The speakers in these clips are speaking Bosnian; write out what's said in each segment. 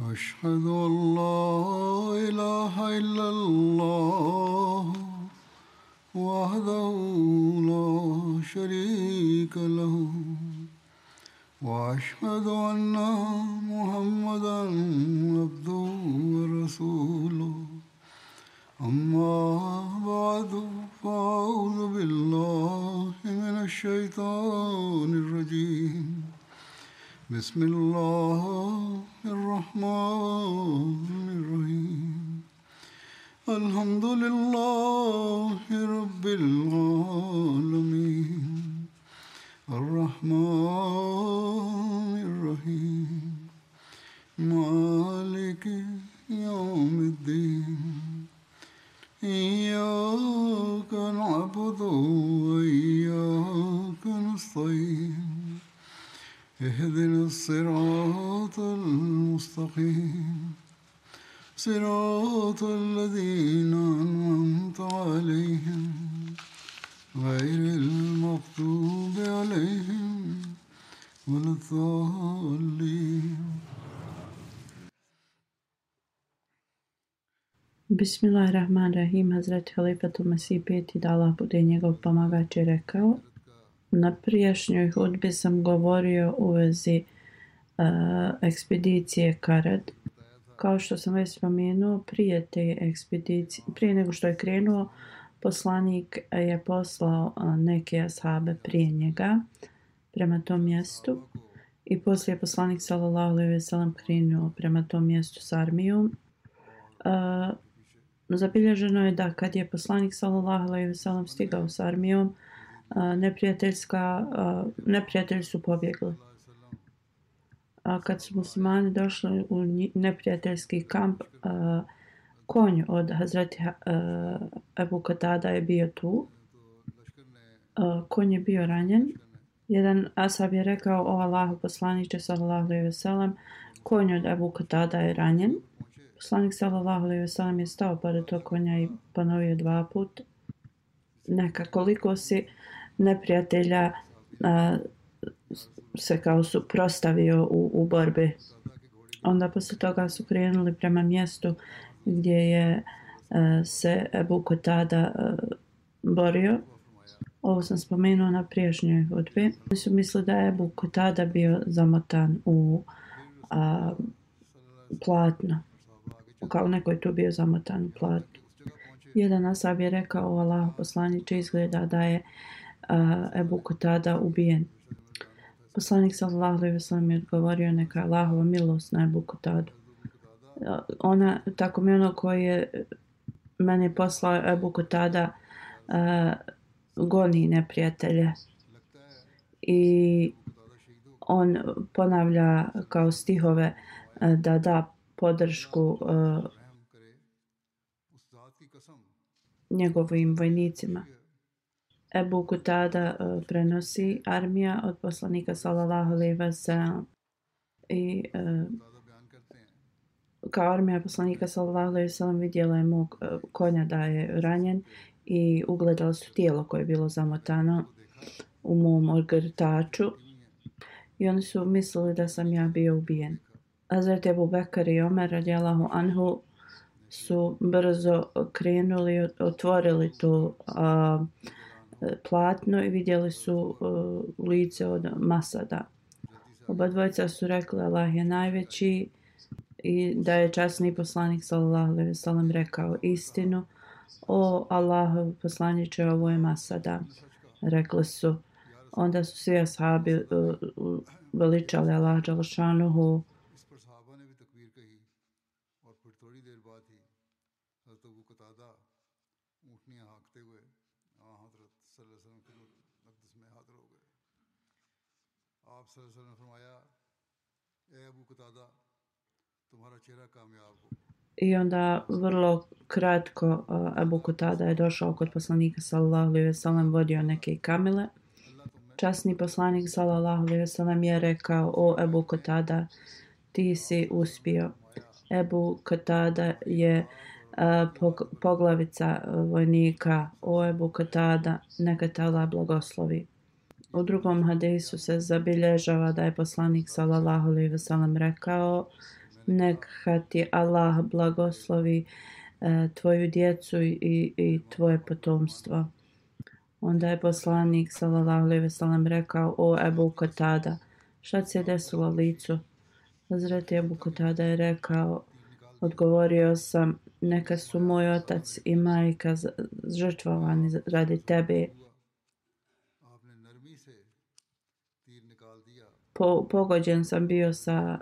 أشهد أن لا إله إلا الله وحده لا شريك له وأشهد أن محمدا عبده ورسوله أما بعد فأعوذ بالله من الشيطان الرجيم بسم الله الرحمن الرحيم الحمد لله رب العالمين الرحمن الرحيم مالك يوم الدين إياك نعبد وإياك نستعين اهدنا الصراط المستقيم صراط الذين أنعمت عليهم غير المغضوب عليهم ولا الضالين. Bismillahirrahmanirrahim. Hazreti Halifatul Mesih peti, da Allah bude njegov pomagač, je rekao: na prijašnjoj hudbi sam govorio u vezi ekspedicije Karad. Kao što sam već spomenuo, prije te ekspedicije, prije nego što je krenuo, poslanik je poslao neke ashabe prije njega prema tom mjestu i poslije je poslanik sallallahu alejhi ve sellem krenuo prema tom mjestu s armijom. Zabilježeno je da kad je poslanik sallallahu alejhi ve sellem stigao s armijom, neprijatelji su pobjegli. A kad su muslimani došli u neprijateljski kamp, konj od Hazreti Ebu Katada je bio tu. Konj je bio ranjen. Jedan ashab je rekao: o Allahu poslaniče sallallahu alejhi ve sellem, konj od Ebu Katada je ranjen. Poslanik sallallahu alejhi ve sellem je stao pored tog konja i ponovio 2 puta: neka, koliko si neprijatelja se kao suprotstavio u borbi. Onda posle toga su krenuli prema mjestu gdje je se Ebu Katada borio. Ovo sam spomenuo na prijašnjoj hudbi. Oni su mislili da je Ebu Katada bio zamotan u platno. Kao neko je tu bio zamotan u platno. Jedan ashab je rekao: o Allahu poslaniče, izgleda da je Ebu Katada ubijen. Poslanik sallallahu alejhi ve sellem je odgovorio: neka Allahova milost na Ebu Katadu. Tako mi ono koji je meni poslao Ebu Katada goni neprijatelje. I on ponavlja kao stihove da da podršku njegovim vojnicima. Ebu Katada prenosi: armija od poslanika sallallahu alejhi ve sellem i kao armija poslanika sallallahu alejhi ve sellem vidjela je mog konja da je ranjen i ugledala su tijelo koje je bilo zamotano u mom ogrtaču i oni su mislili da sam ja bio ubijen. Hazreti Ebu Bekr i Omer radijallahu anhu su brzo krenuli i otvorili to platno i vidjeli su lice od Masada. Oba dvojica su rekli: Allah je najveći, i da je časni poslanik sallallahu alejhi ve sellem rekao istinu. O Allahov poslaniče, ovo je Masada, rekli su. Onda su svi ashabi veličali Allah dželešanuhu. I onda vrlo kratko Ebu Katada je došao kod poslanika sallallahu alejhi ve sellem, vodio neke kamile. Časni poslanik sallallahu alejhi ve sellem je rekao: o Ebu Katada, ti si uspio. Ebu Katada je poglavica vojnika. O Ebu Katada, neka te Allah blagoslovi. U drugom hadisu se zabilježava da je poslanik sallallahu alejhi ve sellem rekao: neka ti Allah blagoslovi tvoju djecu i tvoje potomstvo. Onda je poslanik sallallahu alejhi ve sellem rekao: o Ebu Katada, šta se desilo licu? Hazreti Ebu Katada je rekao, odgovorio sam, neka su moj otac i majka žrtvovani radi tebe. Pogođen sam bio sa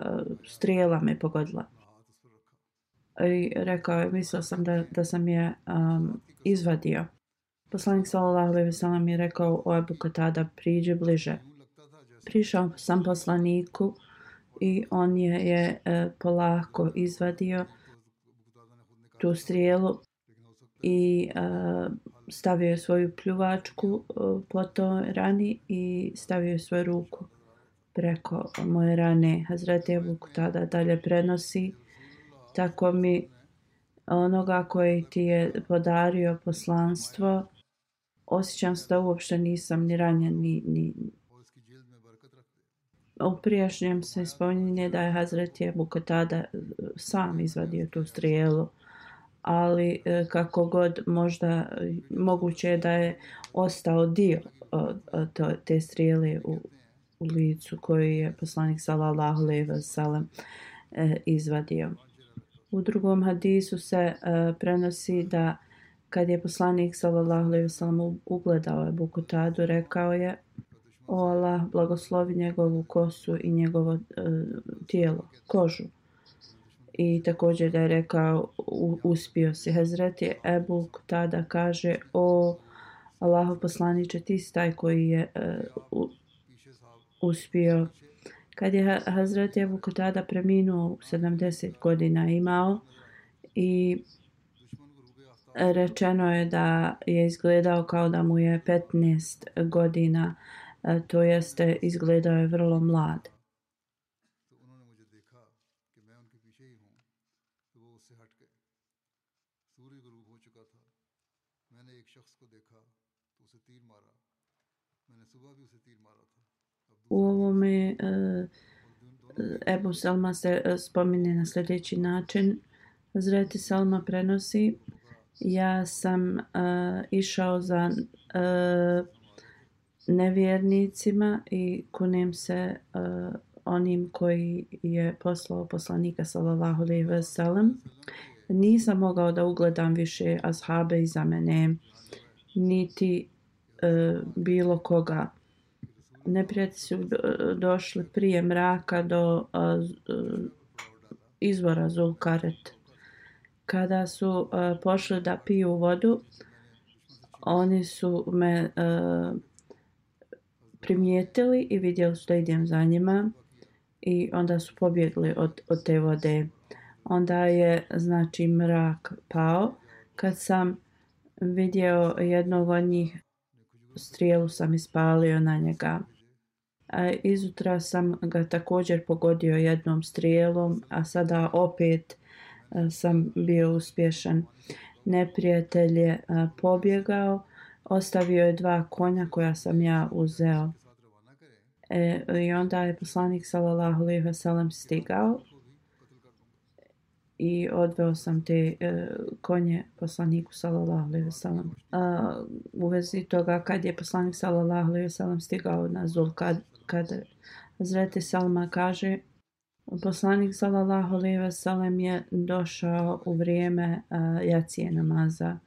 strijela me pogodila. I rekao je, mislio sam da sam je izvadio. Poslanik sallallahu alejhi ve sellem je rekao: o Ebu Katada, priđi bliže. Prišao sam poslaniku i on je polako izvadio tu strijelu i stavio je svoju pljuvačku po toj rani i stavio je svoju ruku preko moje rane. Hazreti Ebu Katada dalje prenosi: tako mi onoga koji ti je podario poslanstvo, osjećam se da uopšte nisam ni ranjen ni u prijašnjem se spominje da je Hazreti Ebu Katada sam izvadio tu strijelu, ali kako god možda moguće je da je ostao dio te strijele u licu koju je poslanik sallallahu alejhi ve sellem izvadio. U drugom hadisu se prenosi da kad je poslanik sallallahu alejhi ve sellem ugledao Ebu Katadu, rekao je: o Allah, blagoslovi njegovu kosu i njegovo tijelo, kožu. I također da je rekao: uspio si. Hazreti Ebu Katada kaže: o Allahov poslaniče, ti si taj koji je uspio. Kad je Hazreti Ebu Katada preminuo, 70 godina imao, i rečeno je da je izgledao kao da mu je 15 godina, to jeste izgledao je vrlo mlad. U ovome Ebu Salma se spominje na sljedeći način. Hazreti Salma prenosi: ja sam išao za nevjernicima i kunem se onim koji je poslao poslanika sallallahu alejhi ve sellem. Nisam mogao da ugledam više ashabe iza mene, niti bilo koga. Neprijatelji su došli prije mraka do izvora Zulkaret. Kada su pošli da piju vodu, oni su me primijetili i vidjeli su da idem za njima i onda su pobjegli od te vode. Onda je znači mrak pao. Kad sam vidio jednog od njih, strijelu sam ispalio na njega. Izutra sam ga također pogodio jednom strijelom, a sada opet sam bio uspješan. Neprijatelj je pobjegao, ostavio je 2 konja koja sam ja uzeo. I onda je poslanik sallallahu alejhi ve sellem stigao i odveo sam te konje poslaniku sallallahu alejhi ve sellem. U vezi toga, kad je poslanik sallallahu alejhi ve sellem stigao na Zulkadr, Hazreti Salma kaže: poslanik sallallahu alejhi ve sellem je došao u vrijeme jacije namaza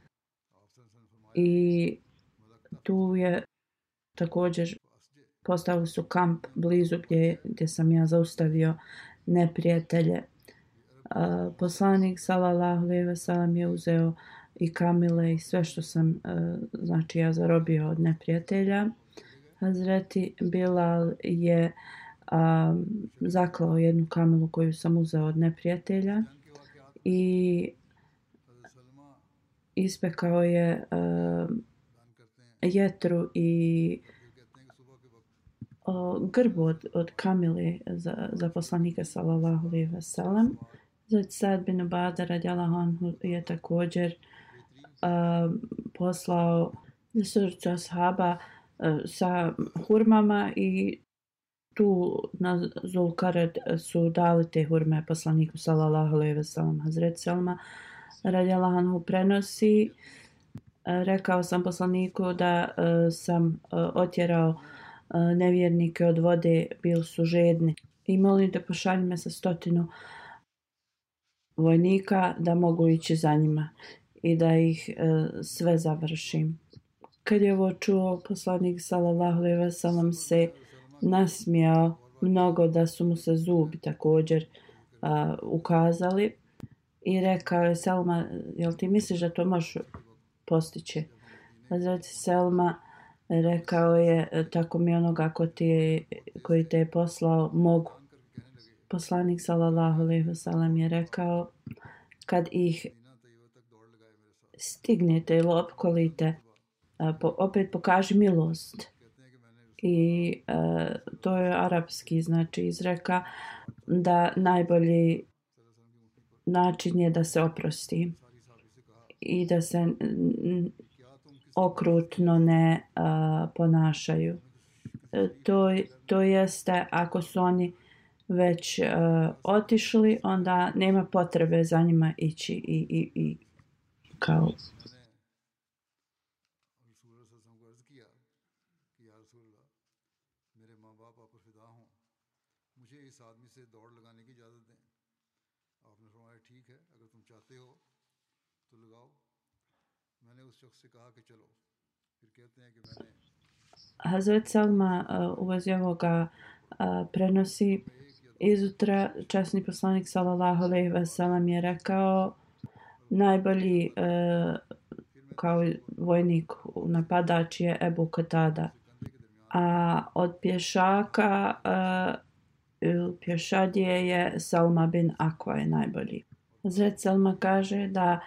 i tu je također postavili su kamp blizu gdje sam ja zaustavio neprijatelje. Poslanik sallallahu alejhi ve sellem je uzeo i kamile i sve što sam znači ja zarobio od neprijatelja. Hazreti Bilal je zaklao jednu kamilu koju sam uzeo od neprijatelja i ispekao je jetru i grbu od kamile za poslanika sallallahu alejhi ve sellem. Hazrat Sad bin Ubada radijallahu anhu je također poslao desetoricu ashaba sa hurmama i tu na Zulkared su dali te hurme poslaniku sallallahu alejhi ve sellem. Hazret Selma radijallahu anhu prenosi, rekao sam poslaniku da sam otjerao nevjernike od vode, bili su žedni. I molim te pošalji me sa 100 vojnika da mogu ići za njima i da ih sve završim. Kad je ovo čuo, poslanik sallallahu alejhi ve sellem se nasmijao mnogo da su mu se zubi također ukazali i rekao je: Selma, jel ti misliš da to možeš postići? Hazret Selma rekao je: tako mi onoga koji te je poslao mogu. Poslanik sallallahu alejhi ve sellem je rekao: kad ih stignete ili opkolite, opet pokaži milost. I to je arapski znači izreka da najbolji način je da se oprosti i da se okrutno ne ponašaju. To jeste, ako su oni već otišli, onda nema potrebe za njima ići i kao Hazret Selma u vezi ovoga prenosi izutra časni poslanik sallallahu alejhi ve sellem je rekao: najbolji kao vojnik napadač je Ebu Katada, a od pješaka pješadije je Selma bin Akva je najbolji. Hazret Selma kaže da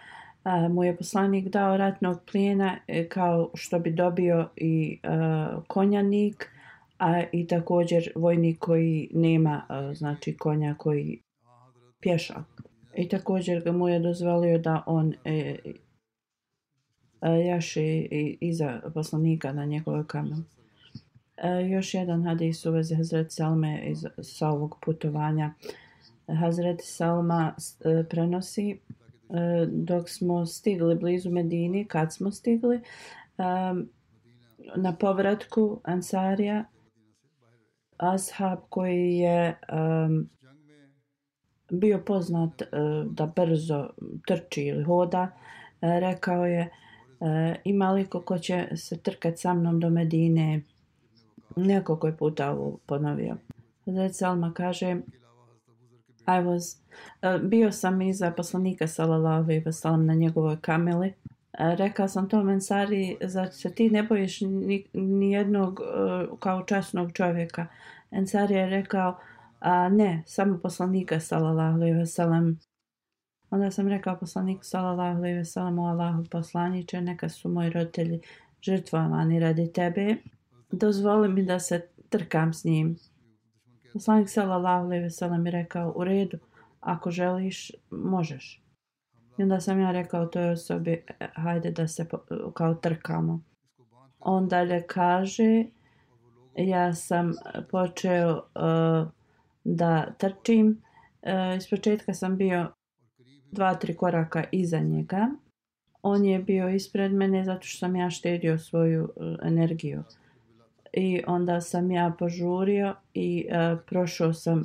mu je poslanik dao ratnog plijena kao što bi dobio i konjanik, a i također vojnik koji nema znači konja, koji pješak. I također ga mu je dozvolio da on jaše iza poslanika na njegove kamenu. Još jedan hadis u vezi Hazret Selme sa ovog putovanja. Hazret Selma prenosi: dok smo stigli blizu Medine, kad smo stigli na povratku Ansarija, ashab koji je bio poznat da brzo trči ili hoda, rekao je: ima li ko će se trkati sa mnom do Medine? Nekoliko je puta ovo ponovio. Hazret Selma kaže: bio sam iza poslanika sallallahu alejhi ve sellem na njegovoj kameli. Rekao sam tom Ensari: zar se ti ne bojiš ni jednog kao časnog čovjeka? Ensari je rekao: ne, samo poslanika sallallahu alejhi ve sellem. Onda sam rekao poslaniku sallallahu alejhi ve sellem: o Allahov poslaniče, neka su moji roditelji žrtvovani radi tebe, dozvoli mi da se trkam s njim. Poslanik sallallahu alejhi ve sellem je rekao: u redu, ako želiš, možeš. I onda sam ja rekao toj osobi: hajde da se kao trkamo. On dalje kaže: ja sam počeo da trčim. Ispočetka sam bio 2-3 koraka iza njega. On je bio ispred mene zato što sam ja štedio svoju energiju. I onda sam ja požurio i prošao sam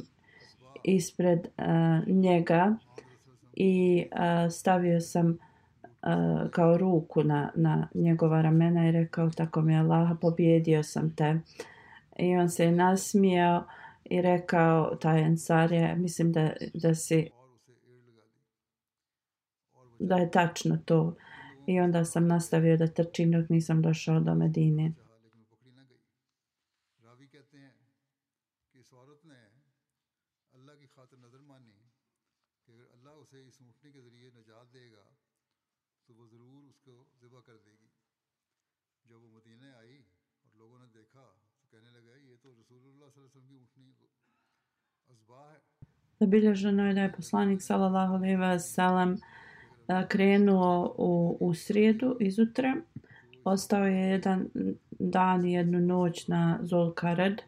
ispred njega i stavio sam kao ruku na njegova ramena i rekao: tako mi je Allah, pobjedio sam te. I on se nasmijao i rekao, taj Ensarija: mislim da je tačno to. I onda sam nastavio da trčim dok nisam došao do Medine. Zabilježeno je da je poslanik sallallahu alejhi ve sellem krenuo u srijedu izutra. Ostao je jedan dan i jednu noć na Zulkared.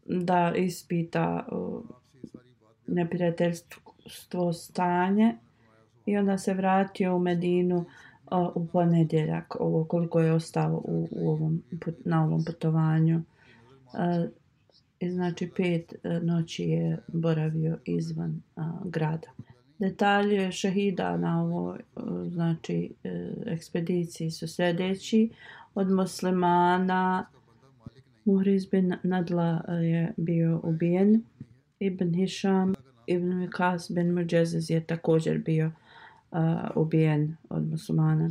da ispita neprijateljstvo stanje i onda se vratio u Medinu u ponedjeljak, ovo koliko je ostao na ovom putovanju. I znači 5 noći je boravio izvan grada. Detalje šehida na ovoj znači ekspediciji su sljedeći. Od muslimana Muhriz bin Nadla je bio ubijen. Ibn Hišam, Ibn Vikas bin Muđeziz je također bio ubijen od muslimana.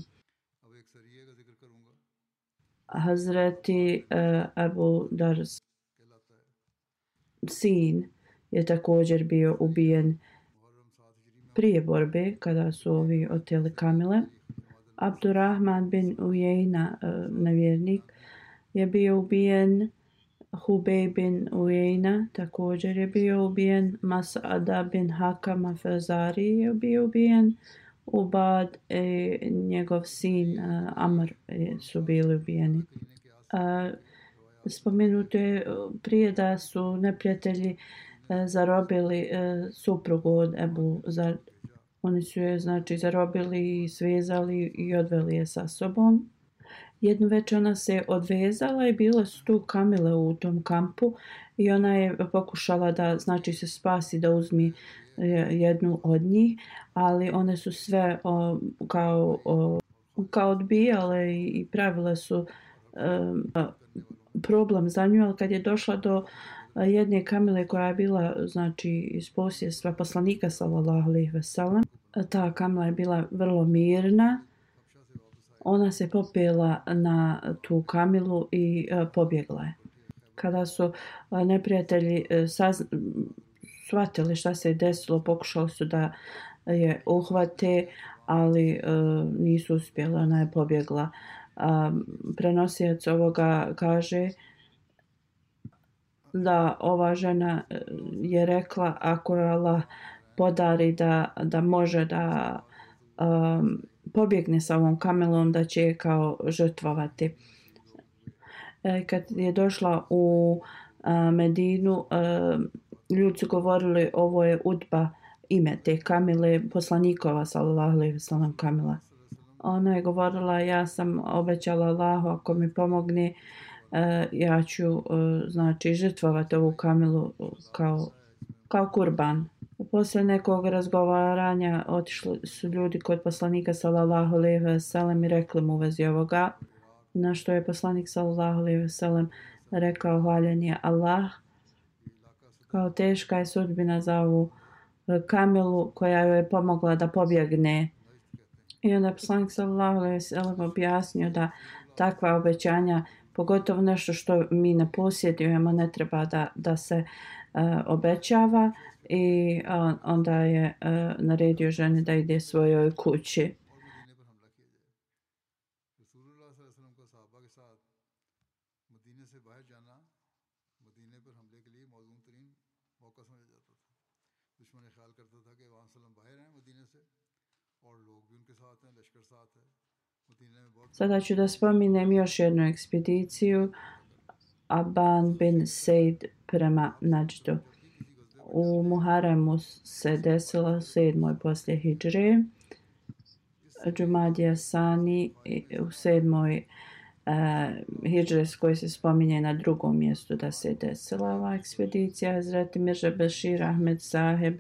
Hazreti Abu Dars sin je također bio ubijen prije borbe kada su ovi oteli kamile. Abdurrahman bin Ujejna, nevjernik, je bio ubijen. Hubej bin Ujejna također je bio ubijen. Mas'ada bin Hakama Fezari je bio ubijen. Ubad i njegov sin Amr su bili ubijeni. Spomenuto je prije da su neprijatelji zarobili suprugu od Ebu Zar. Oni su je znači zarobili, svezali i odveli je sa sobom. Jednu večer ona se odvezala i bile su tu kamile u tom kampu i ona je pokušala da znači se spasi, da uzmi jednu od njih, ali one su sve kao odbijale i pravile su problem za nju, ali kad je došla do jedne kamile koja je bila znači iz posjedstva poslanika sallallahu alejhi ve sellem, ta kamila je bila vrlo mirna. Ona se popela na tu kamilu i pobjegla je. Kada su neprijatelji shvatili šta se je desilo, pokušali su da je uhvate, ali nisu uspjeli, ona je pobjegla. Prenosilac ovoga kaže da ova žena je rekla ako je Allah podari da može da pobjegne sa ovom kamelom, da će je kao žrtvovati. Kad je došla u Medinu, ljudi su govorili ovo je Udba, ime te kamile, poslanikova sallallahu alejhi ve sellem kamila. Ona je govorila ja sam obećala Allahu ako mi pomogne ja ću znači žrtvovati ovu kamilu kao kurban. Poslije nekog razgovaranja otišli su ljudi kod poslanika sallallahu alejhi ve sellem i rekli mu u vezi ovoga, na što je poslanik sallallahu alejhi ve sellem rekao hvaljen je Allah, kao teška je sudbina za ovu kamilu koja joj je pomogla da pobjegne. I onda poslanik sallallahu alejhi ve sellem objasnio da takva obećanja, pogotovo nešto što mi ne posjedujemo, ne treba da se obećava. I onda je naredio ženi da ide svojoj kući. Sada ću da spominem još jednu ekspediciju, Aban bin Sejd prema Nađdu. U Muharremu se desilo 7. poslije hidžre. Džumadija Sani u 7. hidžre koji se spominje na drugom mjestu da se desila ova ekspedicija. Hazreti Mirza Bešir Ahmed Saheb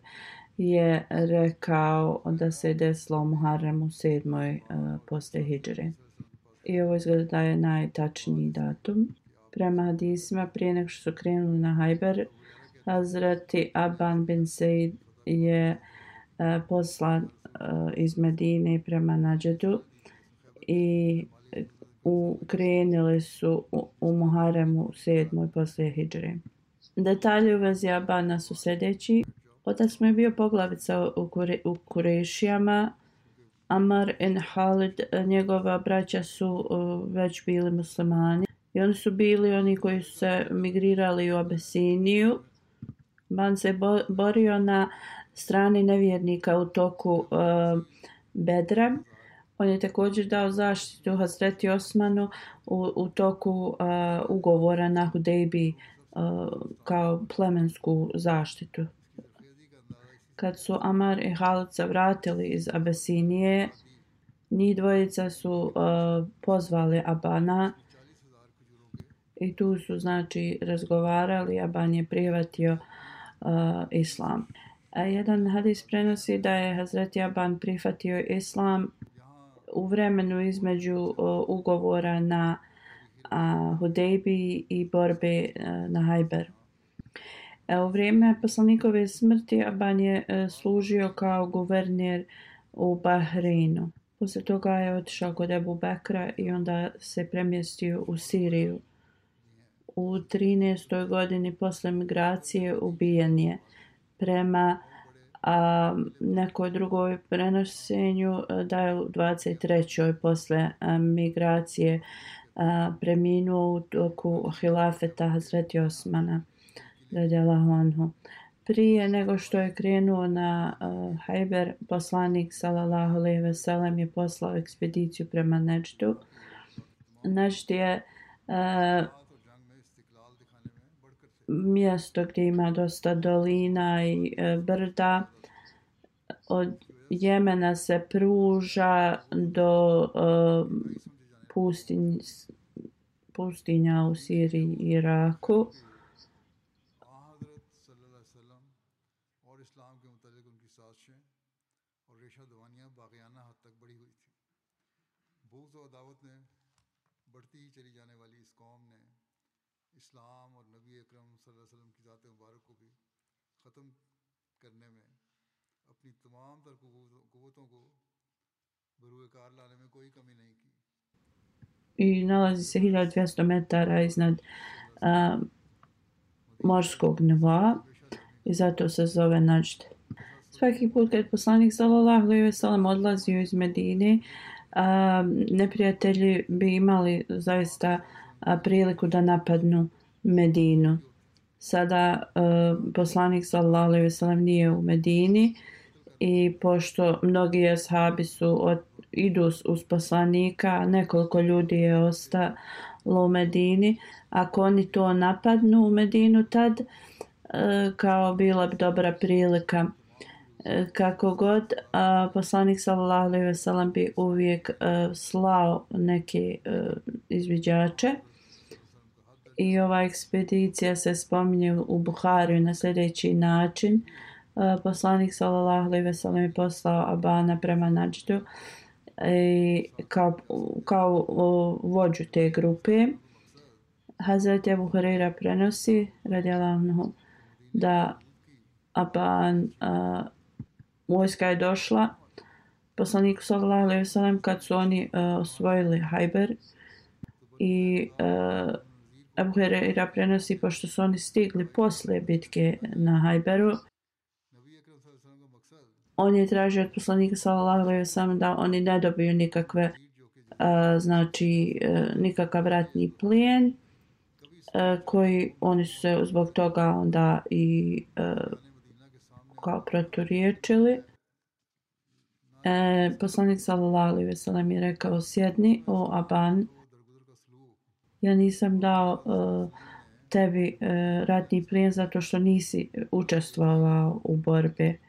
je rekao da se desilo u Muharremu 7. poslije hidžre. I ovo izgleda da je najtačniji datum. Prema hadisima prije nego što su krenuli na Hajber, Hazreti Aban bin Sejd je poslan iz Medine prema Nađdu i krenuli su u Muharremu 7. poslije hidžre. Detalji u vezi Abana su sljedeći. Otac mu je bio poglavica u Kurešijama. Amar i Halid, njegova braća su već bili muslimani. I oni su bili oni koji su se migrirali u Abesiniju. Ban se borio na strani nevjernika u toku Bedra. On je također dao zaštitu Hazreti Osmanu u toku ugovora na Hudejbi kao plemensku zaštitu. Kad su Amar i Halid se vratili iz Abesinije, njih dvojica su pozvali Abana i tu su znači razgovarali. Aban je prihvatio islam. Jedan hadis prenosi da je Hazreti Aban prihvatio islam u vremenu između ugovora na Hudejbiji i borbe na Hajberu. U vrijeme poslanikove smrti Aban je služio kao guverner u Bahreinu. Poslije toga je otišao kod Ebu Bekra i onda se premjestio u Siriju. U 13. godini posle migracije ubijen je. Prema nekoj drugoj prenošenju da je u 23. posle migracije preminuo u toku hilafeta Hazreti Osmana radijallahu anhu. Prije nego što je krenuo na Hajber, poslanik sallallahu alejhi ve sellem je poslao ekspediciju prema Neđdu. Neđd je mjesto gdje ima dosta dolina i brda. Od Jemena se pruža do pustinja u Siriji i Iraku. I nalazi se 1200 metara iznad morskog nivoa i zato se zove Najd. Svaki put kad poslanik sallallahu alejhi ve sellem odlazio iz Medine, neprijatelji bi imali zaista priliku da napadnu Medinu. Sada poslanik sallallahu alejhi ve sellem nije u Medini i pošto mnogi ashabi idu uz poslanika, nekoliko ljudi je ostalo u Medini. Ako oni to napadnu u Medinu tad, kao bila bi dobra prilika. Kako god, poslanik sallallahu alejhi ve sellem bi uvijek slao neke izviđače. I ova ekspedicija se spominje u Buhariju na sljedeći način. Poslanik sallallahu alejhi ve sellem je poslao Abana prema Nađdu kao vođu te grupe. Hazreti Ebu Hurajra prenosi radijallahu anhu da Aban vojska je došla poslaniku sallallahu alejhi ve sellem kad su oni osvojili Hajber i Ebu Hurajra prenosi pošto su oni stigli posle bitke na Hajberu. On je tražio od poslanika sallallahu alejhi ve sellem da oni ne dobiju nikakve nikakav ratni plijen koji oni su se zbog toga onda i kao proturječili. Poslanik sallallahu alejhi ve sellem je rekao: sjedni, o Aban, ja nisam dao tebi ratni plijen zato što nisi učestvovao u borbi.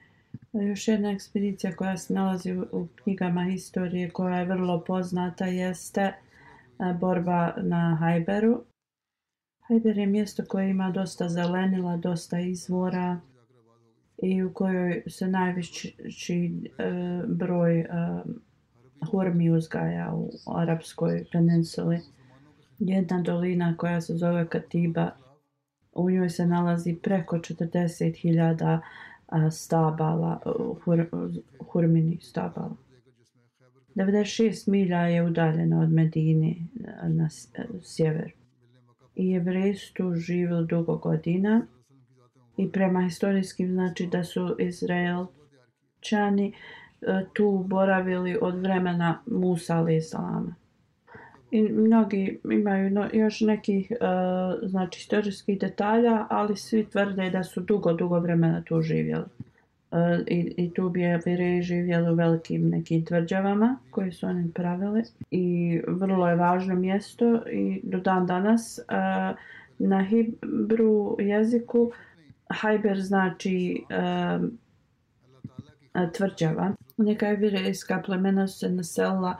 Još jedna ekspedicija koja se nalazi u knjigama historije koja je vrlo poznata jeste borba na Hajberu. Hajber je mjesto koje ima dosta zelenila, dosta izvora i u kojoj se najveći broj hurmi uzgaja u Arapskoj peninsuli. Jedna dolina koja se zove Katiba, u njoj se nalazi preko 40.000 stabala, hurminih stabala. 96 milja je udaljeno od Medine na sjeveru. I Jevreji su tu živjeli dugo godina i prema historijskim znači da su Izraelčani tu boravili od vremena Musa alejhi selama. I mnogi imaju još nekih znači historijskih detalja, ali svi tvrde da su dugo vremena tu živjeli. I tu bi Jevreji živjeli u velikim nekim tvrđavama koje su oni pravili i vrlo je važno mjesto i do dan danas Na hibru jeziku Hajber znači tvrđava. Neka jevrejska plemena su se naselila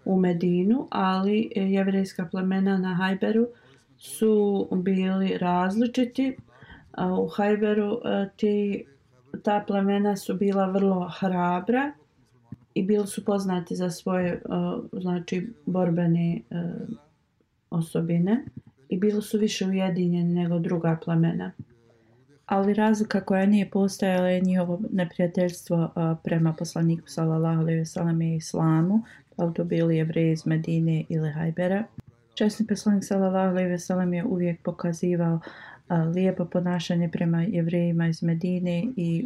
u Medinu, ali jevrejska plemena na Hajberu su bili različiti. U Hajberu ta plemena su bila vrlo hrabra i bili su poznati za svoje znači borbene osobine i bili su više ujedinjeni nego druga plemena. Ali razlika koja nije postojala je njihovo neprijateljstvo prema poslaniku sallallahu alejhi ve sellem i islamu, da li to bili Jevreji iz Medine ili Hajbera. Časni poslanik sallallahu alejhi ve sellem je uvijek pokazivao lijepo ponašanje prema Jevrejima iz Medine i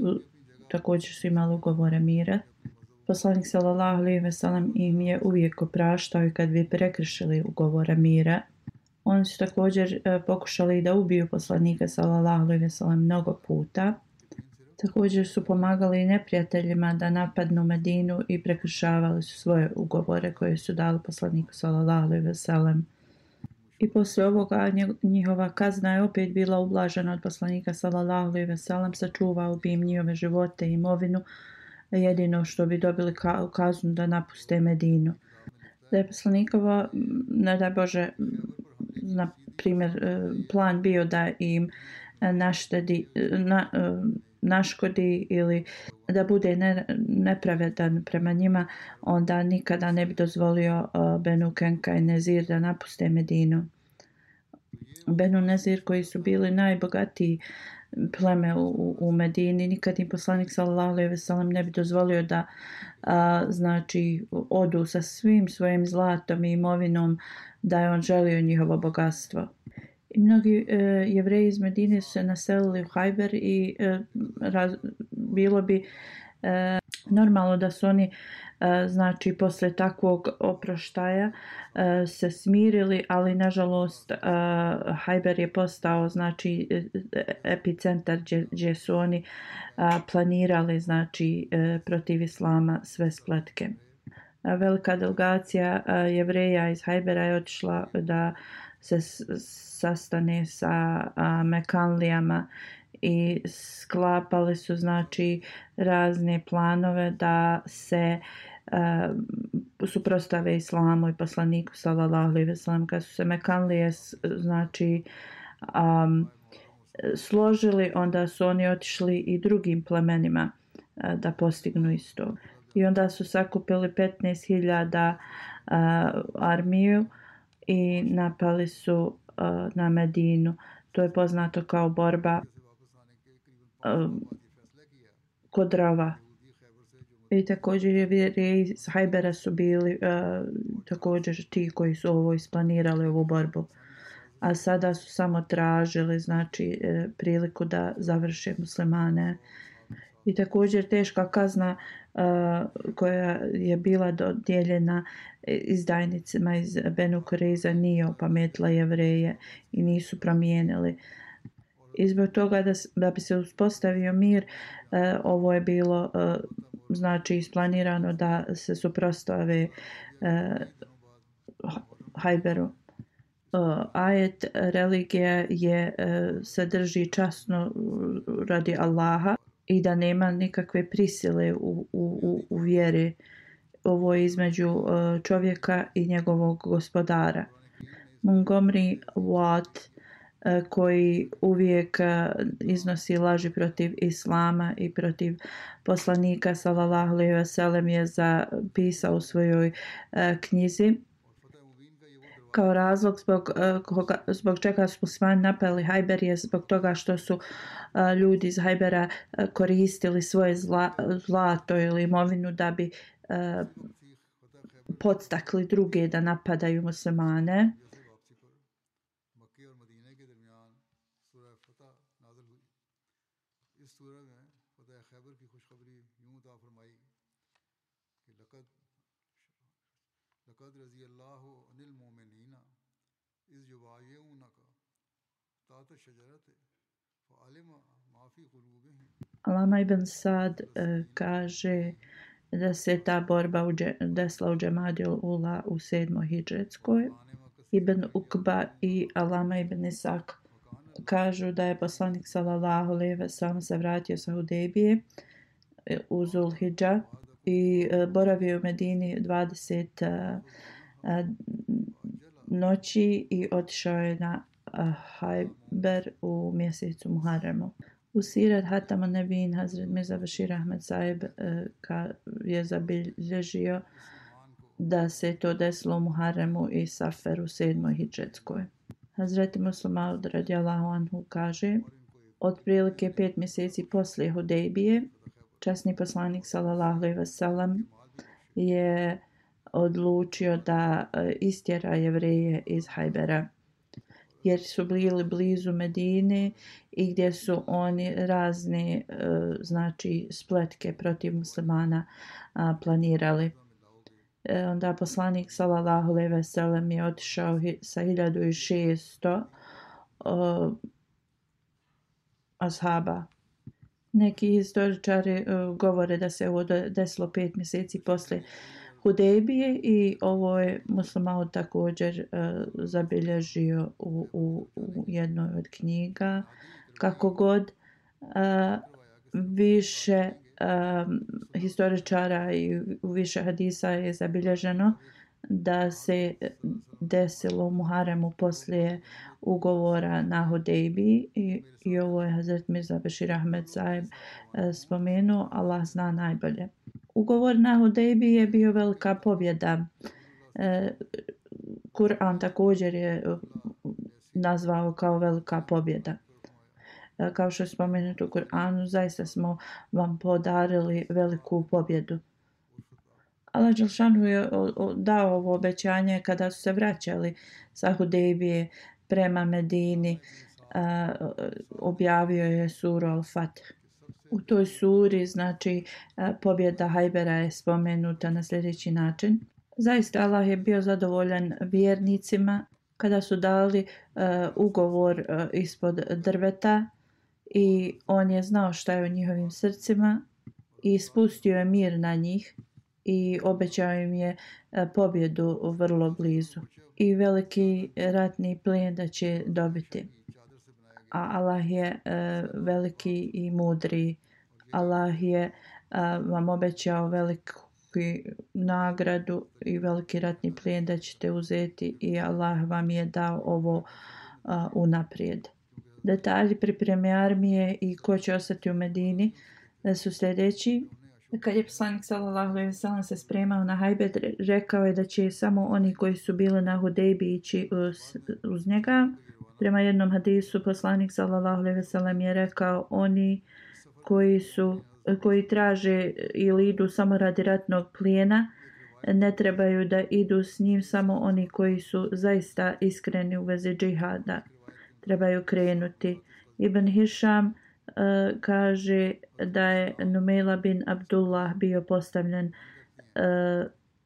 također su imali ugovore mira. Poslanik sallallahu alejhi ve sellem im je uvijek opraštao i kad bi prekršili ugovore mira. Oni su također pokušali da ubiju poslanika sallallahu alejhi ve sellem mnogo puta. Također su pomagali neprijateljima da napadnu Medinu i prekršavali su svoje ugovore koje su dali poslaniku sallallahu alejhi ve sellem. I poslije ovoga njihova kazna je opet bila ublažena od poslanika sallallahu alejhi ve sellem, sačuvao bi im njihove živote i imovinu, jedino što bi dobili kaznu da napuste Medinu. Da je poslanikova, ne daj Bože, na primjer, plan bio da im naškodi ili da bude nepravedan prema njima, onda nikada ne bi dozvolio Benu Kenka i Nezir da napuste Medinu. Benu Nezir koji su bili najbogatiji pleme u Medini, nikad im poslanik sallallahu alejhi ve sellem ne bi dozvolio da znači odu sa svim svojim zlatom i imovinom, da je on želio njihovo bogatstvo. I mnogi Jevreji iz Medine su se naselili u Hajber i bilo bi normalno da su oni znači posle takvog oproštaja se smirili, ali nažalost Hajber je postao znači epicentar gdje su oni planirali znači protiv islama sve spletke. Velika delegacija Jevreja iz Hajbera je otišla da se sastane sa Mekanlijama i sklapali su znači razne planove da se suprotstave islamu i poslaniku sallallahu alejhi ve sellem. Kad su se Mekanlije znači složili, onda su oni otišli i drugim plemenima da postignu isto. I onda su sakupili 15.000 armiju i napali su na Medinu. To je poznato kao borba kod Rava. I također Jevreji iz Hajbera su bili također ti koji su ovo isplanirali, ovu borbu. A sada su samo tražili znači priliku da završe muslimane. I također teška kazna koja je bila dodijeljena izdajnicima iz Benu Kurejza nije opametila Jevreje i nisu promijenili. I zbog toga da bi se uspostavio mir, ovo je bilo znači isplanirano da se suprotstave Hajberu. Ajet religija se drži časno radi Allaha i da nema nikakve prisile u vjeri. Ovo je između čovjeka i njegovog gospodara. Montgomery Watt, koji uvijek iznosi laži protiv islama i protiv poslanika sallallahu alejhi ve sellem, je zapisao u svojoj knjizi kao razlog zbog čega su muslimani napali Hajber je zbog toga što su ljudi iz Hajbera koristili svoje zlato ili imovinu da bi podstakli druge da napadaju muslimane. Alama ibn Sad kaže da se ta borba desila u Džemadil Ula u 7. hidžretskoj. Ibn Ukba i Alama ibn Isak kažu da je poslanik sallallahu alejhi ve sellem se vratio sa Hudejbije u Zulhidža i boravio u Medini 20 noći i otišao je na Hajber u mjesecu Muharremu. U Sirat Hatam an-Nebin Hazret Mirza Bashir Ahmed Sahib je zabilježio da se to desilo u Muharremu i Saferu 7. hidžretskoj. Hazreti Muslim Maud radijallahu anhu kaže: otprilike 5 mjeseci poslije Hudejbije, časni poslanik sallallahu alejhi ve sellem je odlučio da istjera Jevreje iz Hajbera, jer su bili blizu Medine i gdje su oni razne spletke protiv muslimana planirali. Onda poslanik sallallahu alejhi ve sellem je otišao sa 1600 ashaba. Neki historičari govore da se ovo desilo 5 mjeseci poslije Hudejbije i ovo je Muslim Maud također zabilježio u jednoj od knjiga. Kako god, više historičara i u više hadisa je zabilježeno da se desilo u Muharremu poslije ugovora na Hudejbiji i ovo je Hazret Mirza Bashir Ahmed Sahib spomenuo, Allah zna najbolje. Ugovor na Hudejbiji je bio velika pobjeda. Kur'an također je nazvao kao velika pobjeda. Kao što je spomenuto u Kur'anu, zaista smo vam podarili veliku pobjedu. Allah dželešanu je dao ovo obećanje kada su se vraćali sa Hudejbije prema Medini. Objavio je suru Al-Fatih. U toj suri, pobjeda Hajbera je spomenuta na sljedeći način. Zaista Allah je bio zadovoljan vjernicima kada su dali ugovor ispod drveta i on je znao šta je u njihovim srcima i spustio je mir na njih i obećao im je pobjedu vrlo blizu i veliki ratni plijen da će dobiti. A Allah je veliki i mudri. Allah je vam obećao veliku nagradu i veliki ratni plijen da ćete uzeti i Allah vam je dao ovo unaprijed. Detalji pripreme armije i ko će ostati u Medini su sljedeći. Kad je poslanik sallallahu alejhi ve sellem se spremao na Hajber, rekao je da će samo oni koji su bili na Hudejbiji ići uz njega. Prema jednom hadisu poslanik sallallahu alejhi ve sellem je rekao: oni koji traže ili idu samo radi ratnog plijena, ne trebaju da idu s njim, samo oni koji su zaista iskreni u vezi džihada trebaju krenuti. Ibn Hišam kaže da je Numejla bin Abdullah bio postavljen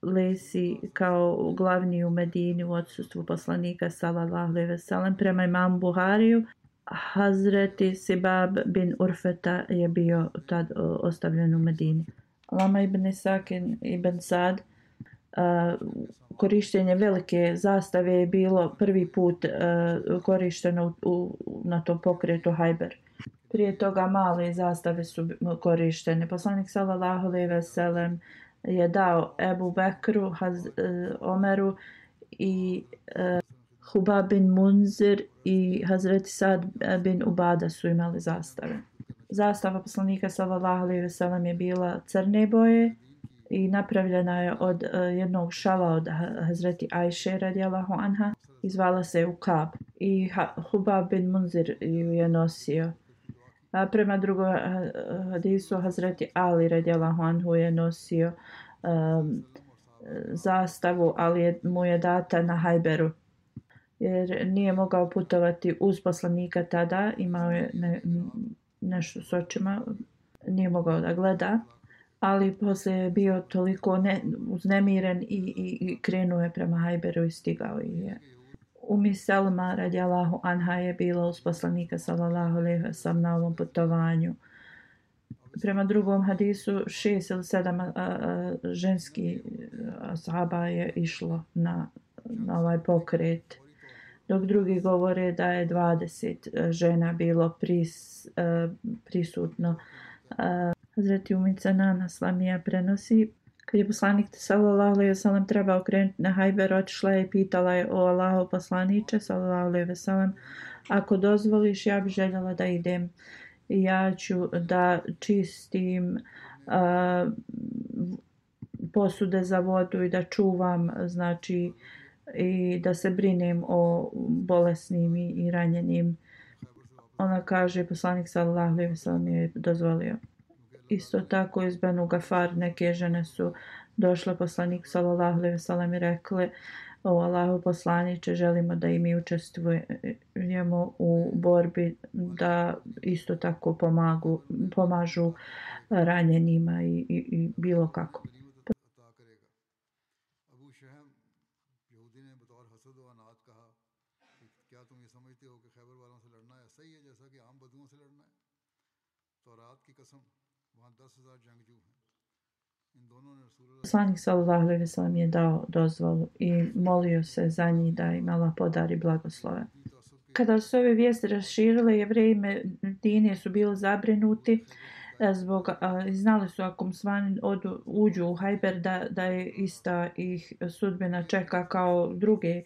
Lesi kao glavni u Medini u odsustvu poslanika sallallahu alejhi ve sellem. Prema imamu Buhariju, Hazreti Sibab bin Urfeta je bio tad ostavljen u Medini. Lama ibn Sakin ibn Sad, korištenje velike zastave je bilo prvi put korišteno na tom pokretu Hajber. Prije toga male zastave su korištene. Poslanik sallallahu alejhi ve sellem je dao Ebu Bekru, Omeru i Hubab bin Munzir i Hazreti Sad bin Ubada su imali zastave. Zastava poslanika sallallahu alejhi ve sellem je bila crne boje i napravljena je od jednog šala od Hazreti Ajše radijallahu anha i zvala se Ukab. I Hubab bin Munzir ju je nosio. Prema drugom hadisu Hazreti Ali radijallahu anhu je nosio zastavu, ali mu je data na Hajberu jer nije mogao putovati uz poslanika tada, imao je nešto s očima, nije mogao da gleda, ali poslije je bio toliko uznemiren i krenuo je prema Hajberu i stigao je. Umi Selma radijallahu anha je bila uz poslanika sallallahu alejhi ve sellem na ovom putovanju. Prema drugom hadisu 6 ili 7 ženski ashaba je išlo na ovaj pokret. dok drugi govore da je 20 žena bilo prisutno. Hazreti Umica Nana Slamija prenosi, kad je poslanik sallallahu alejhi ve sellem trebao krenuti na Hajber, otišla je i pitala je: o Allahov poslaniče sallallahu alejhi ve sellem, ako dozvoliš, ja bih željela da idem. Ja ću da čistim posude za vodu i da čuvam, znači, i da se brinem o bolesnim i ranjenim. Ona kaže, poslanik sallallahu alejhi ve sellem je dozvolio. Isto tako iz Benu Gafar neke žene su došle poslanik sallallahu alejhi ve sellem i rekle: o Allahu poslaniče, želimo da i mi učestvujemo u borbi, da isto tako pomažu ranjenima i bilo kako. Poslanik sallallahu alejhi ve sellem je dao dozvolu i molio se za njih da im Allah podari blagoslove. Kada su ove vijesti raširile, Jevreji Medine su bili zabrinuti zbog znali su ako muslimani uđu u Hajber da je ista ih sudbina čeka kao druge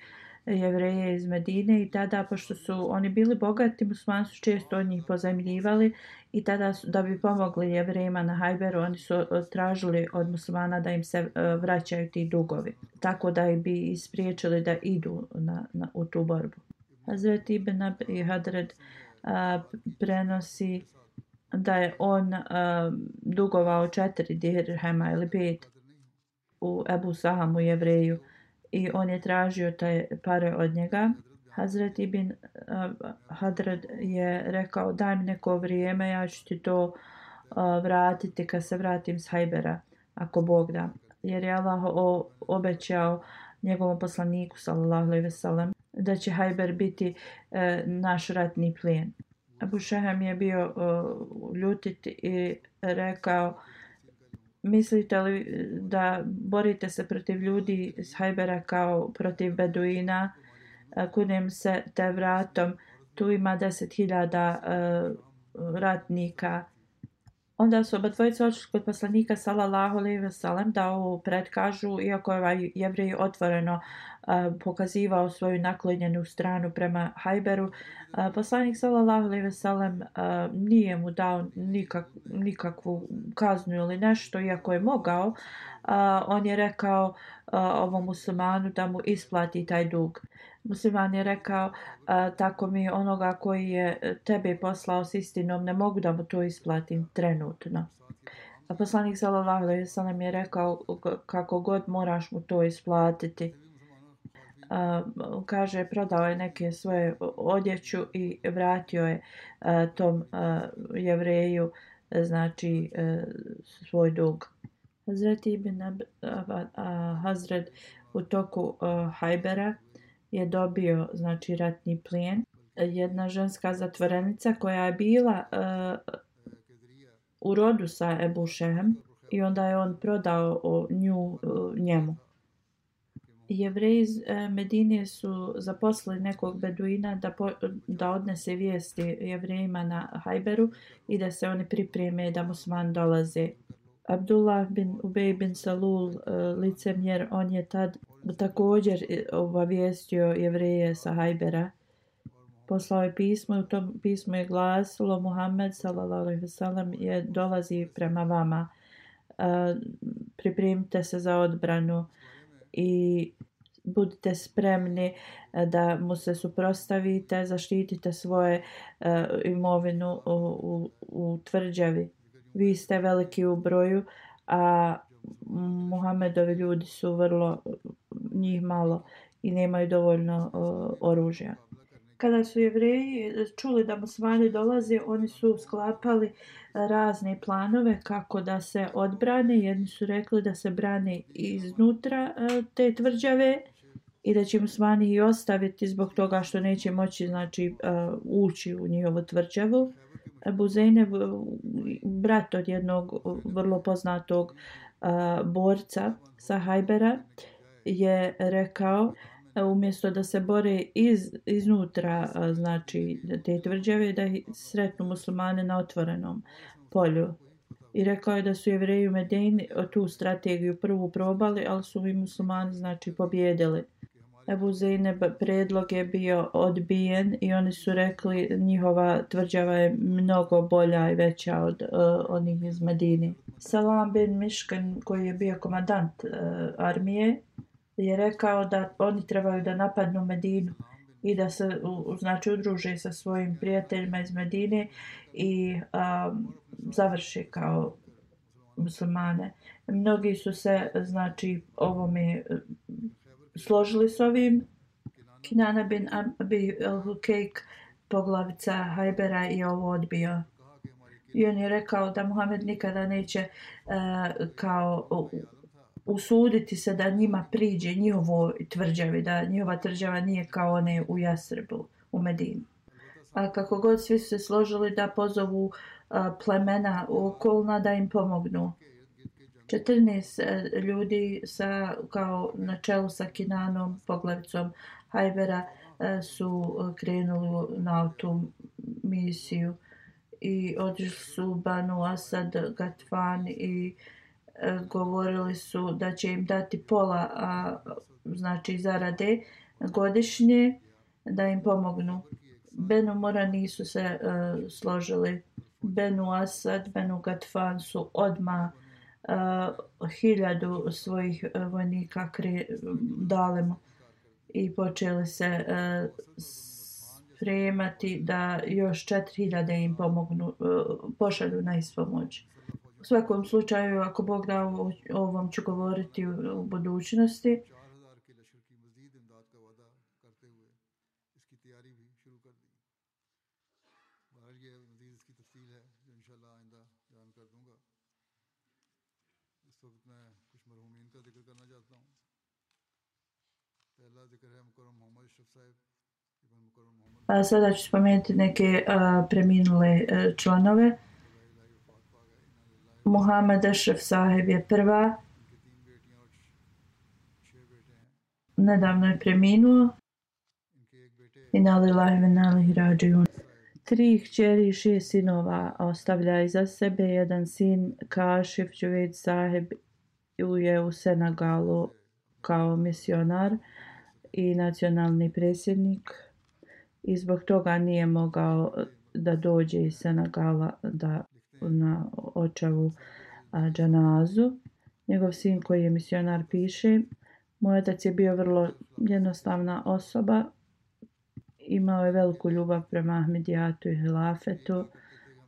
Jevreje iz Medine, i tada, pošto su oni bili bogati, muslimani su često od njih pozajmljivali, i tada da bi pomogli Jevrejima na Hajberu, oni su tražili od muslimana da im se vraćaju ti dugovi, tako da bi ispriječili da idu u tu borbu. Hazret Ibn Abi Hadred prenosi da je on dugovao 4 dirhema ili 5 u Ebu Sahamu Jevreju, i on je tražio te pare od njega. Hazret Ibn Hadred je rekao: daj mi neko vrijeme, ja ću ti to vratiti kad se vratim s Hajbera, ako Bog da. Jer je Allah obećao njegovom poslaniku sallallahu alejhi ve sellem da će Hajber biti naš ratni plijen. Abu Šehem je bio ljutit i rekao: mislite li da borite se protiv ljudi iz Hajbera kao protiv beduina? Kunem se te vratom, tu ima 10.000 ratnika. Onda su oba dvojica otišli kod poslanika sallallahu alejhi ve sellem da ovo predkažu, iako je ovaj Jevrej otvoreno pokazivao svoju naklonjenu stranu prema Hajberu. Poslanik sallallahu alejhi ve sellem nije mu dao nikakvu kaznu ili nešto, iako je mogao. On je rekao ovom muslimanu da mu isplati taj dug. Musliman je rekao: tako mi onoga koji je tebe poslao s istinom, ne mogu da mu to isplatim trenutno. A poslanik sallallahu alejhi ve sellem je rekao: kako god moraš mu to isplatiti. Kaže, prodao je neke svoje odjeću i vratio je tom Jevreju, znači, svoj dug. Hazret Ibn Hazred u toku Hajbera je dobio, znači, ratni plijen. Jedna ženska zatvorenica koja je bila u rodu sa Ebu Šehem, i onda je on prodao nju njemu. Jevreji iz Medine su zaposlili nekog beduina da odnese vijesti Jevrejima na Hajberu i da se oni pripreme da musliman dolaze. Abdullah bin Ubej bin Salul, licemjer, on je tad također obavijestio Jevreje sa Hajbera. Poslao je pismo, u tom pismu je glasilo: Muhammed sallallahu alejhi ve sellem dolazi prema vama. Pripremite se za odbranu i budite spremni da mu se suprotstavite, zaštitite svoje imovinu u tvrđavi. Vi ste veliki u broju, a Muhammedovi ljudi su vrlo, njih malo, i nemaju dovoljno oružja. Kada su Jevreji čuli da muslimani dolaze, oni su sklapali razne planove kako da se odbrane. Jedni su rekli da se brane iznutra te tvrđave i da će muslimani i ostaviti zbog toga što neće moći, znači, ući u njihovu tvrđavu. Ebu Zejneb, brat od jednog vrlo poznatog borca sa Hajbera, je rekao: umjesto da se bore iznutra, znači te tvrđave, da ih sretnu muslimane na otvorenom polju. I rekao je da su Jevreji u Medini tu strategiju prvu probali, ali su i muslimani znači pobjedili. Ebu Zejneb predlog je bio odbijen i oni su rekli njihova tvrđava je mnogo bolja i veća od onih iz Medine. Salam bin Miškan, koji je bio komandant armije, je rekao da oni trebaju da napadnu Medinu i da se znači udruže sa svojim prijateljima iz Medine i završe kao muslimane. Mnogi su se znači ovome složili s ovim. Kinana bin Abi al-Hukejk, poglavica Hajbera, je ovo odbio. I on je rekao da Muhammed nikada neće kao usuditi se da njima priđe njihovo tvrđavi, da njihova tvrđava nije kao one u Jasribu, u Medini. A kako god svi su se složili da pozovu plemena okolna da im pomognu. 14 ljudi kao na čelu sa Kinanom, poglavicom Hajbera, su krenuli na tu misiju i otišli su Banu Asad, Gatfan i govorili su da će im dati pola znači zarade godišnje da im pomognu. Benu Mura nisu se složili. Benu Asad, Benu Gatfan su odmah 1000 svojih vojnika dali mu i počeli se spremati da još 4000 im pomognu, pošalju na ispomoć. U svakom slučaju, ako Bog da, o ovom ću govoriti u budućnosti. A sada ću spomenuti neke preminule članove. Muhammed Ashraf Saheb je prva. Nedavno je preminuo. Inna lillahi wa inna ilaihi rađiun. 3 kćeri i 6 sinova ostavlja iza sebe. Jedan sin, Kašif Džuvejd Saheb, je u Senegalu kao misionar i nacionalni predsjednik. I zbog toga nije mogao da dođe iz Senegala na očevu džanazu. Njegov sin koji je misionar piše: moj otac je bio vrlo jednostavna osoba. Imao je veliku ljubav prema Ahmedijatu i hilafetu.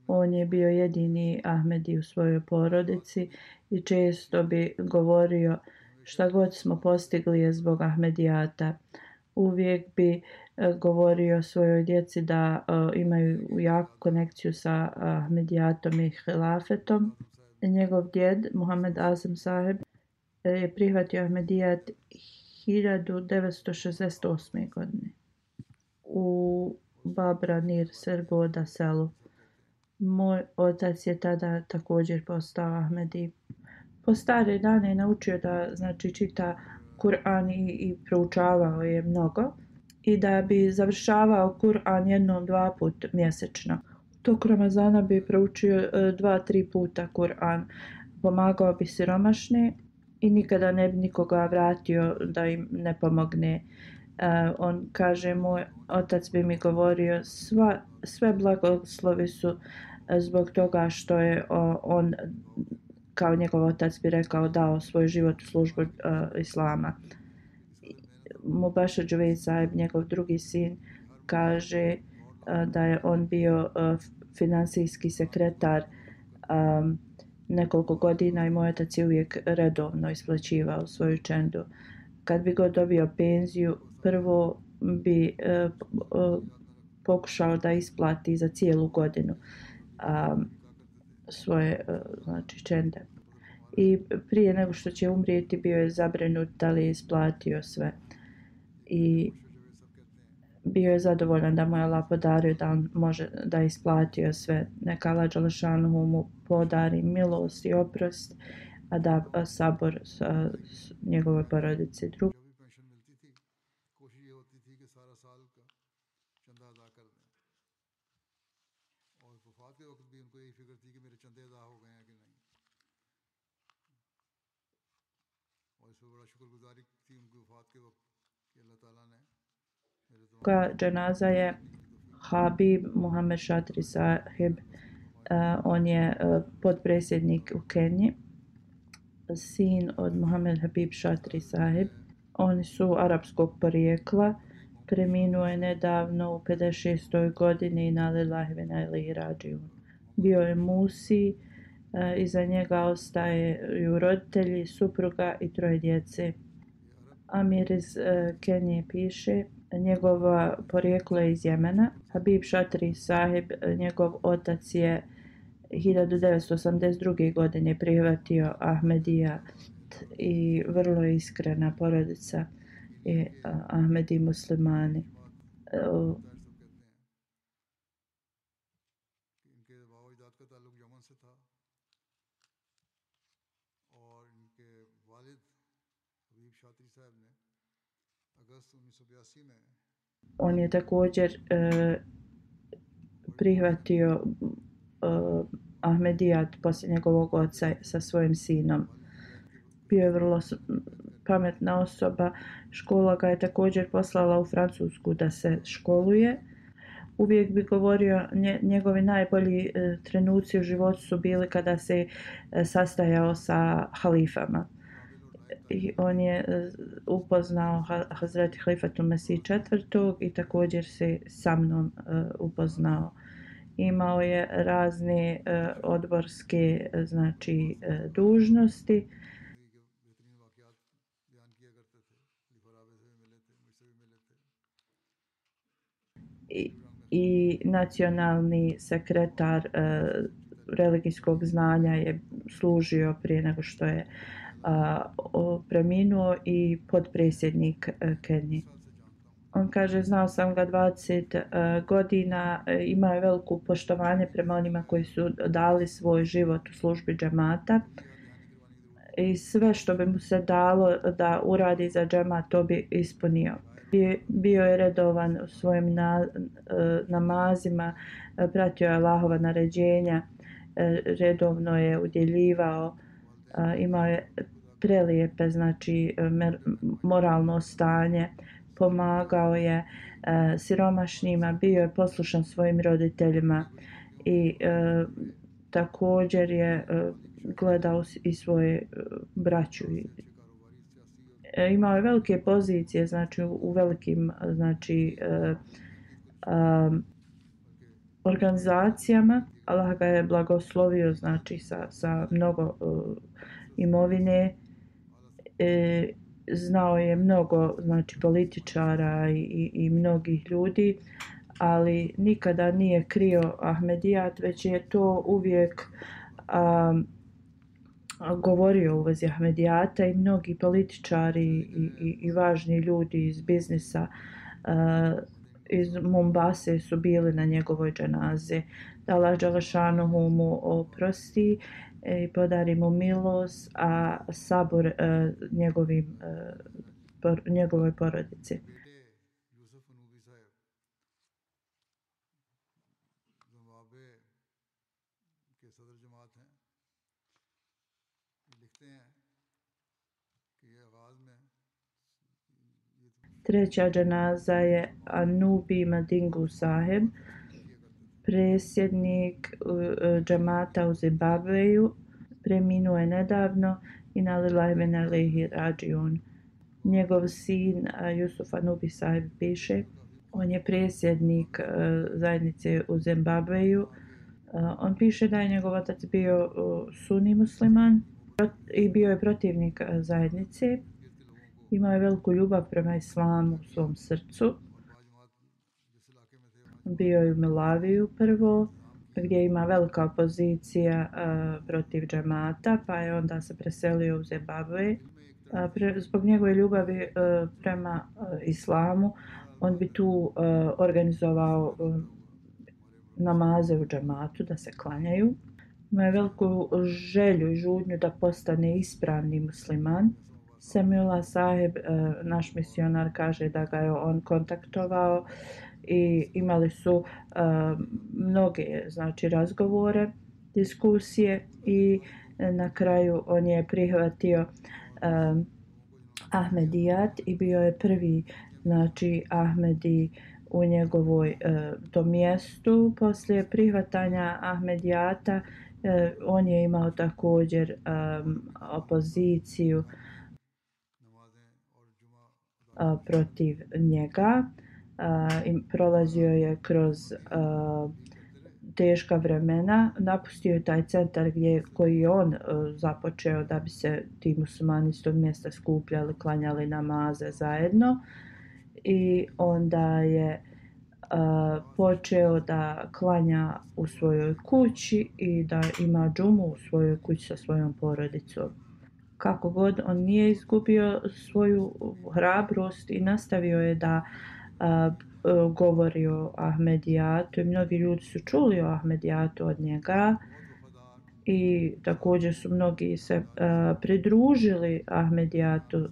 On je bio jedini Ahmedi u svojoj porodici i često bi govorio šta god smo postigli je zbog Ahmedijata. Uvijek bi govorio svojoj djeci da imaju jaku konekciju sa Ahmedijatom i hilafetom. Njegov djed, Muhammed Azam Saheb, je prihvatio Ahmedijat 1968. godine u Babra Nir Sergoda selu. Moj otac je tada također postao Ahmedi. Po stare dane je naučio da znači čita Kur'an i proučavao je mnogo i da bi završavao Kur'an 1-2 puta mjesečno. Tok Ramazana bi proučio 2-3 puta Kur'an. Pomagao bi siromašne i nikada ne bi nikoga vratio da im ne pomogne. On kaže, moj otac bi mi govorio sve blagoslovi su zbog toga što je on, kao njegov otac bi rekao, dao svoj život u službu islama. Mubashir Džuvejd Saheb, njegov drugi sin, kaže da je on bio finansijski sekretar nekoliko godina i moj otac je uvijek redovno isplaćivao svoju čendu. Kad bi god dobio penziju, prvo bi pokušao da isplati za cijelu godinu svoje znači čende. I prije nego što će umrijeti bio je zabrinut da li je isplatio sve. I bio je zadovoljan da mu je Allah podario da on može da isplatio sve. Neka Allah dželešanuhu mu podari milost i oprost, a da sabor njegovoj porodici. Dženaza je Habib Muhammad Shatri Sahib. On je potpredsjednik u Keniji, sin od Muhammad Habib Shatri Sahib. Oni su arapskog porijekla. Preminuo je nedavno u 56. godini na lillahi wa inna ilaihi rađiun. Bio je Musi, iza njega ostaju roditelji, supruga i 3 djece. Amir iz Kenije piše, njegova porijeklo je iz Jemena. Habib Shatri Sahib, njegov otac je 1982. godine prihvatio Ahmedijat i vrlo je iskrena porodica i Ahmedi muslimani. On je također prihvatio Ahmedijat poslije njegovog oca sa svojim sinom. Bio je vrlo pametna osoba. Škola ga je također poslala u Francusku da se školuje. Uvijek bi govorio, njegovi najbolji trenuci u životu su bili kada se sastajao sa halifama. I on je upoznao Hazreti Halifatu Mesih IV. I također se sa mnom upoznao. Imao je razne odborske dužnosti. I nacionalni sekretar religijskog znanja je služio prije nego što je preminuo i potpredsjednik Kenije. On kaže, znao sam ga 20 godina, imao je veliko poštovanje prema onima koji su dali svoj život u službi džemata i sve što bi mu se dalo da uradi za džemat, to bi ispunio. Bio je redovan u svojim namazima, pratio je Allahova naređenja, redovno je udjeljivao, imao je prelijepe moralno stanje, pomagao je siromašnima, bio je poslušan svojim roditeljima i također je gledao i svoje braću. Imao je velike pozicije u velikim organizacijama. Allah ga je blagoslovio sa mnogo imovine. Znao je mnogo političara i mnogih ljudi, ali nikada nije krio Ahmedijat, već je to uvijek govorio u vezi Ahmedijata i mnogi političari i važni ljudi iz biznisa iz Mombase su bili na njegovoj dženazi. Da Allah dželešanuhu mu oprosti i podari mu milost, a sabor njegovoj porodici. Treća dženaza je Anubi Madingu Sahib, predsjednik džemata u Zimbabveju. Preminuo je nedavno i na lillahi wa inna ilaihi rađiun. Njegov sin Yusuf Anubi Sahib piše, on je predsjednik zajednice u Zimbabveju. On piše da je njegov otac bio sunni musliman i bio je protivnik zajednice. Imao je veliku ljubav prema islamu u svom srcu. Bio je u Milaviju prvo, gdje ima velika opozicija protiv džemata, pa je onda se preselio u Zimbabve. Zbog njegove ljubavi prema islamu, on bi tu organizovao namaze u džematu da se klanjaju. Ima je veliku želju i žudnju da postane ispravni musliman. Semiullah Sahib, naš misionar, kaže da ga je on kontaktovao i imali su mnoge razgovore, diskusije i na kraju on je prihvatio Ahmedijat i bio je prvi, znači, Ahmedi u njegovoj tom mjestu. Poslije prihvatanja Ahmedijata on je imao također opoziciju protiv njega i prolazio je kroz teška vremena. Napustio je taj centar koji je on započeo da bi se ti muslimani s tog mjesta skupljali, klanjali namaze zajedno, i onda je počeo da klanja u svojoj kući i da ima džumu u svojoj kući sa svojom porodicom. Kako god, on nije izgubio svoju hrabrost i nastavio je da govori o Ahmedijatu i mnogi ljudi su čuli o Ahmedijatu od njega i također su mnogi se pridružili Ahmedijatu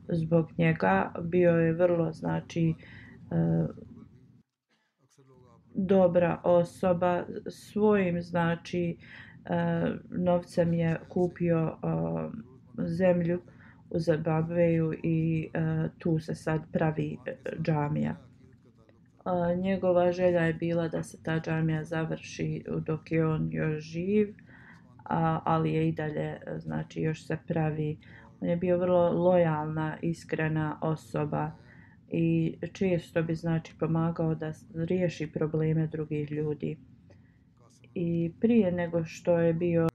zbog njega. Bio je vrlo, znači, dobra osoba. Svojim, znači, novcem je kupio zemlju u Zimbabveju i tu se sad pravi džamija. Njegova želja je bila da se ta džamija završi dok je on još živ, ali je i dalje, znači, još se pravi. On je bio vrlo lojalna, iskrena osoba i često bi, znači, pomagao da riješi probleme drugih ljudi. I prije nego što je bio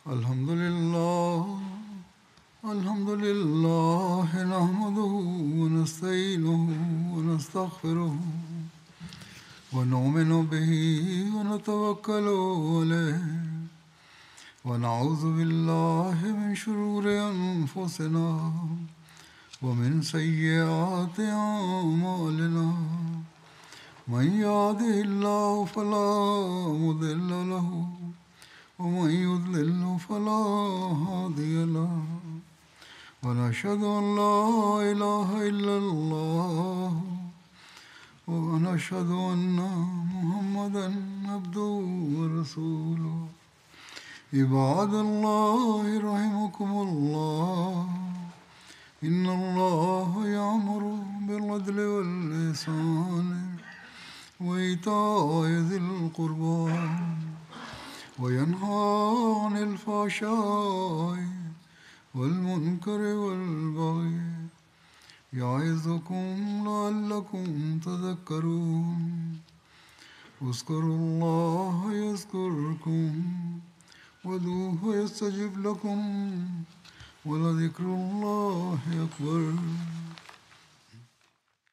الحمد لله نحمده ونستعينه ونستغفره ونؤمن به ونتوكل عليه ونعوذ بالله من شرور أنفسنا ومن سيئات أعمالنا من يهده الله فلا مضل له ومن يضلل فلا هادي له ونشهد أن لا إله إلا الله ونشهد أن محمدا عبده ورسوله عباد الله رحمكم الله إن الله يأمر بالعدل والإحسان وإيتاء ذي القربى وينهى عن الفحشاء والمنكر والبغي يعظكم لعلكم تذكرون اذكروا الله يذكركم وادعوه يستجب لكم ولذكر الله أكبر